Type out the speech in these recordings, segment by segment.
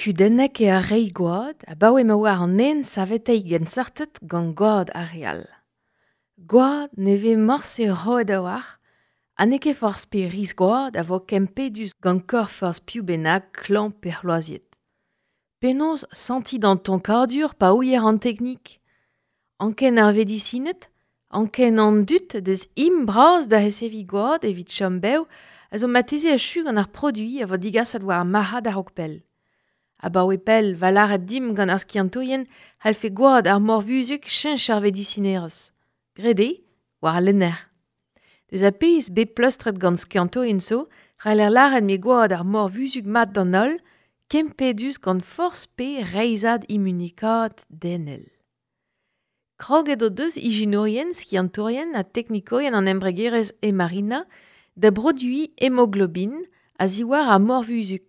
Kudennek eo ar reiñ gwad abaoe ma oar an nen saveteiñ genseurted gant gwad ar re all. Gwad ne vez morse roet a-walc'h ha n'eo ket forzh pe riz gwad a vo kempedus gant korf forzh piv bennak klañv pe c'hloaziet. Penaos sentiñ d'an tonkadur pa ouier an teknik? Anken ar vedisined, anken an dud deus im bras da reseviñ gwad evit chom bev a zo marteze achu gant ar produiñ a vo digaset war ar marc'had a-raok pell. Abaoe pell 'va lâret dimp gant ar skiantourien c'hallfe gwad ar morvuzhug cheñch ar vedisinerezh. Graet eo, war al lenner. Deus ar pezh bet pleustret gant skiantourien zo c'haller lâret m'eo gwad ar morvuzhug mat d'an holl, kempedus gant forzh pe reizhad imunekaat denel. Kroget o deus ijinourien, skiantourien ha teknikourien an embregerezh Hemarina da broduiñ hemoglobin a-ziwar ar morvuzhug.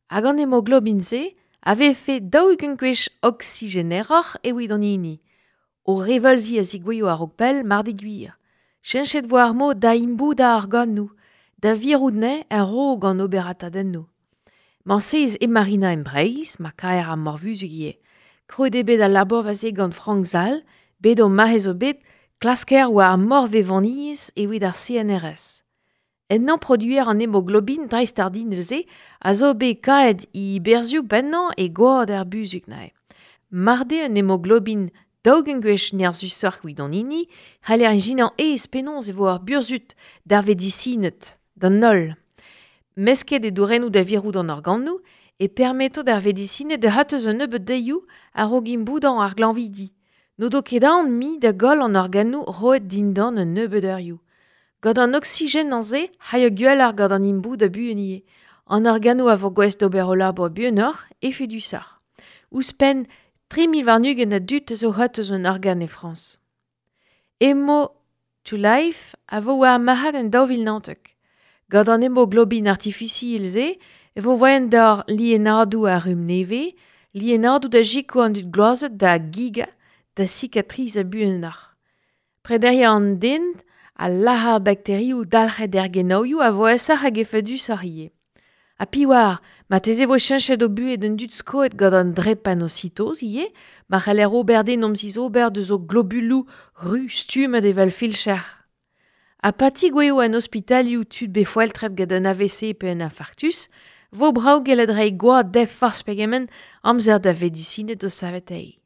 Hag an hemoglobin-se a vefe 40 gwech oksigeneroc'h evit an hini. O reveulzi a zigouezho a-raok pell mar d'eo gwir. Cheñchet vo ar mod da imboudañ ar organoù, da virout anezhe a-raok an oberatadennoù. Mañ sez Hemarina en Breizh, ma kaer ar morvuzhug ivez. Krouet eo bet al labourva-se gant Frank Zal, bet o mare zo bet klasker war ar morvevoniezh evit ar CNRS. Ennañ produer an hemoglobin dreistordinal-se a zo bet kaet e berzhioù pennañ e gwad ar buzhug neuze. Mar d'eo un hemoglobin 40 gwech nerzhusoc'h evit an hini, c'haller ijinañ aes penaos e vo ar burzhud d'ar vedisined, d'an holl. Mesket e dourennoù da virout an organoù e permeto d'ar vedisined da c'hortoz un nebeud deioù a-raok imboudañ ar glañvidi. N'o do ket aon mui da goll an organoù roet dindan un nebeud eurioù. Gant an oksigenañ-se c'haio gwelloc'h gant an imboudañ buan ivez. An organoù a vo gouest d'ober o labour buanoc'h, efedusoc'h. Ouzhpenn 3020 a dud a zo c'hortoz un organ e Frañs. Emo to Life a vo war ar marc'had en 2019. Gant an hemoglobin artifisiel-se e vo voaien d'ar lienadoù a rumm nevez, lienadoù da sikour an dud gloazet da gigañ, da sikatrizañ buanoc'h. Prederiañ an den ha lazhañ ar bakterioù dalc'het er genaouioù a vo aesoc'h hag efedusoc'h ivez. Ha piv oar, marteze e vo cheñchet o buhez d'an dud skoet gant an drepanositoz ivez, ma c'haller ober din omzizober deus o globuloù ruz stummet evel filcher. Ha pa tigouezho en ospitalioù tud bet foeltret gant un AVC pe un infarktus, vo brav gellet reiñ gwad dezhe forzh pegement amzer da vedisined o saveteiñ.